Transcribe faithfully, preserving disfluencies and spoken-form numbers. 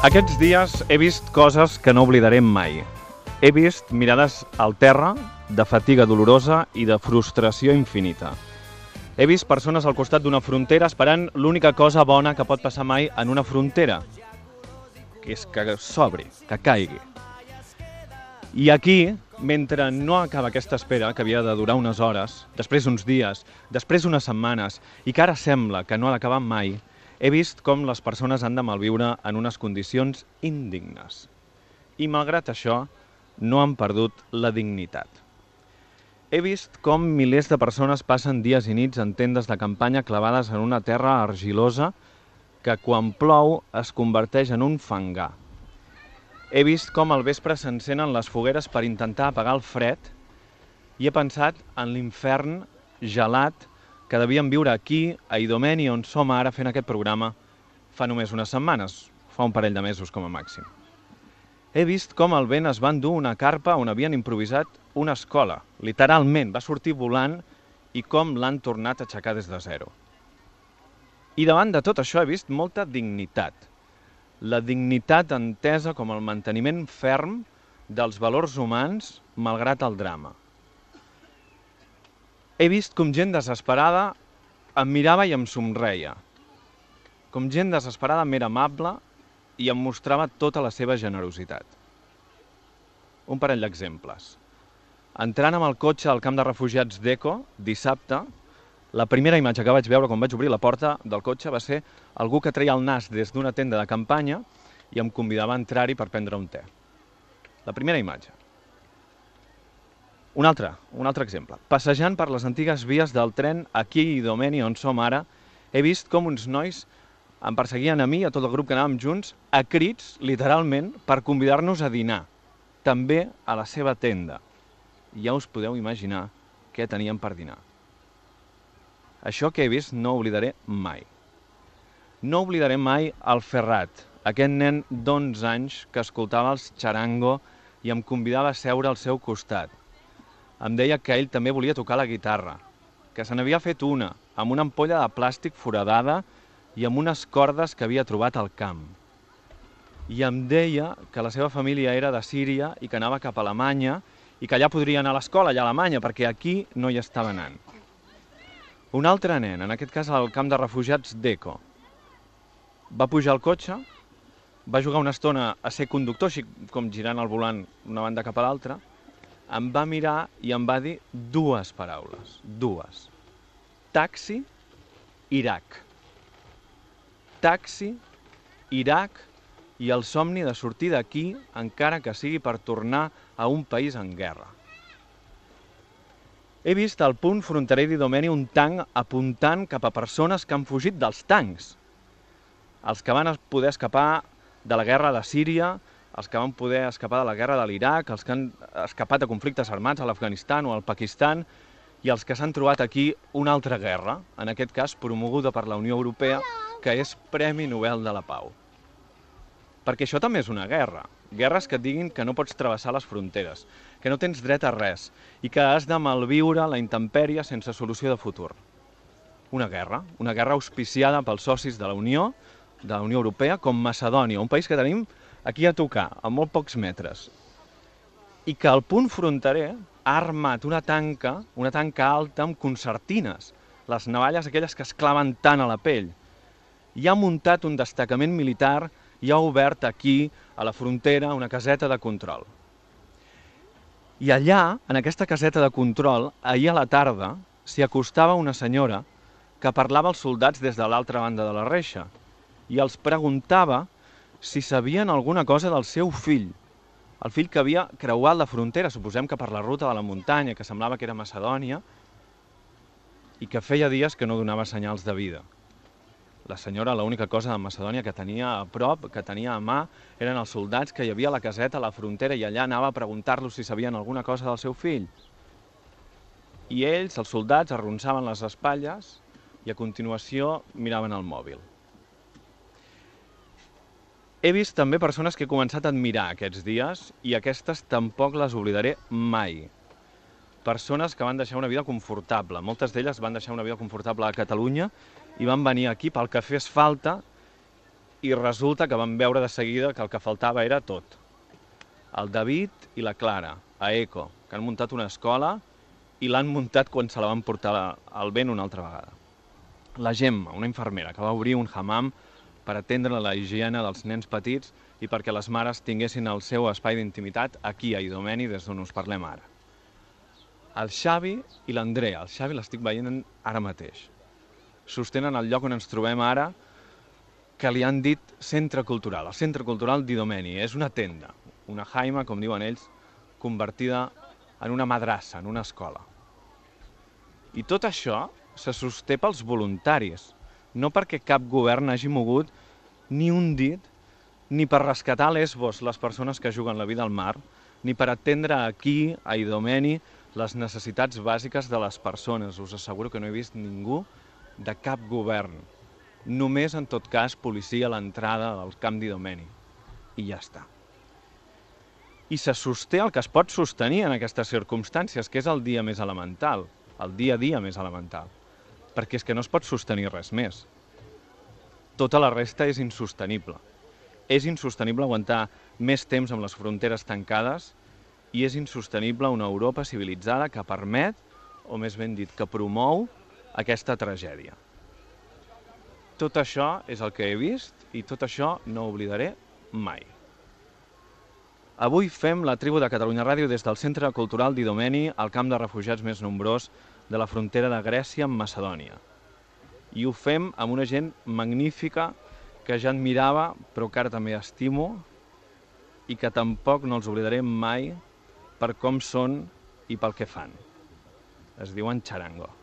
Aquests dies he vist coses que no oblidaré mai. He vist mirades al terra, de fatiga dolorosa i de frustració infinita. He vist persones al costat d'una frontera esperant l'única cosa bona que pot passar mai en una frontera, que és que s'obri, que caigui. I aquí, mentre no acaba aquesta espera, que havia de durar unes hores, després uns dies, després unes setmanes, i que ara sembla que no ha d'acabar mai, he vist com les persones han de malviure en unes condicions indignes. I malgrat això, no han perdut la dignitat. He vist com milers de persones passen dies i nits en tendes de campanya clavades en una terra argilosa que quan plou es converteix en un fangar. He vist com al vespre s'encenen les fogueres per intentar apagar el fred i he pensat en l'infern gelat que devien viure aquí, a Idomeni, on som ara fent aquest programa, fa només unes setmanes, fa un parell de mesos com a màxim. He vist com el vent es va endur una carpa on havien improvisat una escola. Literalment, va sortir volant i com l'han tornat a aixecar des de zero. I davant de tot això he vist molta dignitat. La dignitat entesa com el manteniment ferm dels valors humans malgrat el drama. He vist com gent desesperada em mirava i em somreia. Com gent desesperada m'era amable i em mostrava tota la seva generositat. Un parell d'exemples. Entrant amb el cotxe al camp de refugiats d'Eco, dissabte, la primera imatge que vaig veure quan vaig obrir la porta del cotxe va ser algú que treia el nas des d'una tenda de campanya i em convidava a entrar-hi per prendre un te. La primera imatge. Un altre, un altre exemple. Passejant per les antigues vies del tren aquí a Idomeni, on som ara, he vist com uns nois em perseguien a mi i a tot el grup que anàvem junts, a crits, literalment, per convidar-nos a dinar, també a la seva tenda. I ja us podeu imaginar què teníem per dinar. Això que he vist no oblidaré mai. No oblidaré mai el Ferrat, aquest nen d'onze anys que escoltava els Charango i em convidava a seure al seu costat. Em deia que ell també volia tocar la guitarra, que se n'havia fet una, amb una ampolla de plàstic foradada i amb unes cordes que havia trobat al camp. I em deia que la seva família era de Síria i que anava cap a Alemanya i que allà podria anar a l'escola, allà a Alemanya, perquè aquí no hi estava anant. Un altre nen, en aquest cas al camp de refugiats d'Eco, va pujar al cotxe, va jugar una estona a ser conductor, així com girant el volant d'una banda cap a l'altra, em va mirar i em va dir dues paraules, dues. Taxi, Iraq. Taxi, Iraq i el somni de sortir d'aquí, encara que sigui per tornar a un país en guerra. He vist al punt fronterer d'Idomeni un tanc apuntant cap a persones que han fugit dels tancs. Els que van poder escapar de la guerra de Síria, els que van poder escapar de la guerra de l'Iraq, els que han escapat de conflictes armats a l'Afganistan o al Pakistan i els que s'han trobat aquí una altra guerra, en aquest cas promoguda per la Unió Europea, que és Premi Nobel de la Pau. Perquè això també és una guerra. Guerres que et diguin que no pots travessar les fronteres, que no tens dret a res i que has de malviure la intempèrie sense solució de futur. Una guerra, una guerra auspiciada pels socis de la Unió, de la Unió Europea, com Macedònia, un país que tenim aquí a tocar, a molt pocs metres. I que al punt fronterer ha armat una tanca, una tanca alta amb concertines, les navalles aquelles que es claven tant a la pell. I ha muntat un destacament militar i ha obert aquí, a la frontera, una caseta de control. I allà, en aquesta caseta de control, ahir a la tarda, s'hi acostava una senyora que parlava als soldats des de l'altra banda de la reixa i els preguntava si sabien alguna cosa del seu fill, el fill que havia creuat la frontera, suposem que per la ruta de la muntanya, que semblava que era Macedònia, i que feia dies que no donava senyals de vida. La senyora, l'única cosa de Macedònia que tenia a prop, que tenia a mà, eren els soldats que hi havia a la caseta a la frontera i allà anava a preguntar-los si sabien alguna cosa del seu fill. I ells, els soldats, arronsaven les espatlles i a continuació miraven el mòbil. He vist també persones que he començat a admirar aquests dies i aquestes tampoc les oblidaré mai. Persones que van deixar una vida confortable. Moltes d'elles van deixar una vida confortable a Catalunya i van venir aquí pel que fes falta i resulta que vam veure de seguida que el que faltava era tot. El David i la Clara, a Eco, que han muntat una escola i l'han muntat quan se la van portar al vent una altra vegada. La Gemma, una infermera, que va obrir un hammam per atendre la higiene dels nens petits i perquè les mares tinguessin el seu espai d'intimitat aquí a Idomeni, des d'on us parlem ara. El Xavi i l'Andrea, el Xavi l'estic veient ara mateix, sostenen el lloc on ens trobem ara, que li han dit centre cultural, el centre cultural d'Idomeni. És una tenda, una jaima, com diuen ells, convertida en una madrassa, en una escola. I tot això se sosté pels voluntaris, no perquè cap govern hagi mogut ni un dit, ni per rescatar a Lesbos les persones que juguen la vida al mar, ni per atendre aquí, a Idomeni, les necessitats bàsiques de les persones. Us asseguro que no he vist ningú de cap govern. Només, en tot cas, policia a l'entrada del camp d'Idomeni. I ja està. I se sosté el que es pot sostenir en aquestes circumstàncies, que és el dia més elemental, el dia a dia més elemental. Perquè és que no es pot sostenir res més. Tota la resta és insostenible. És insostenible aguantar més temps amb les fronteres tancades i és insostenible una Europa civilitzada que permet, o més ben dit, que promou aquesta tragèdia. Tot això és el que he vist i tot això no ho oblidaré mai. Avui fem la Tribu de Catalunya Ràdio des del Centre Cultural d'Idomeni, al camp de refugiats més nombrós de la frontera de Grècia amb Macedònia. I ho fem amb una gent magnífica que ja admirava, però que ara també estimo, i que tampoc no els oblidaré mai per com són i pel que fan. Es diuen Charango.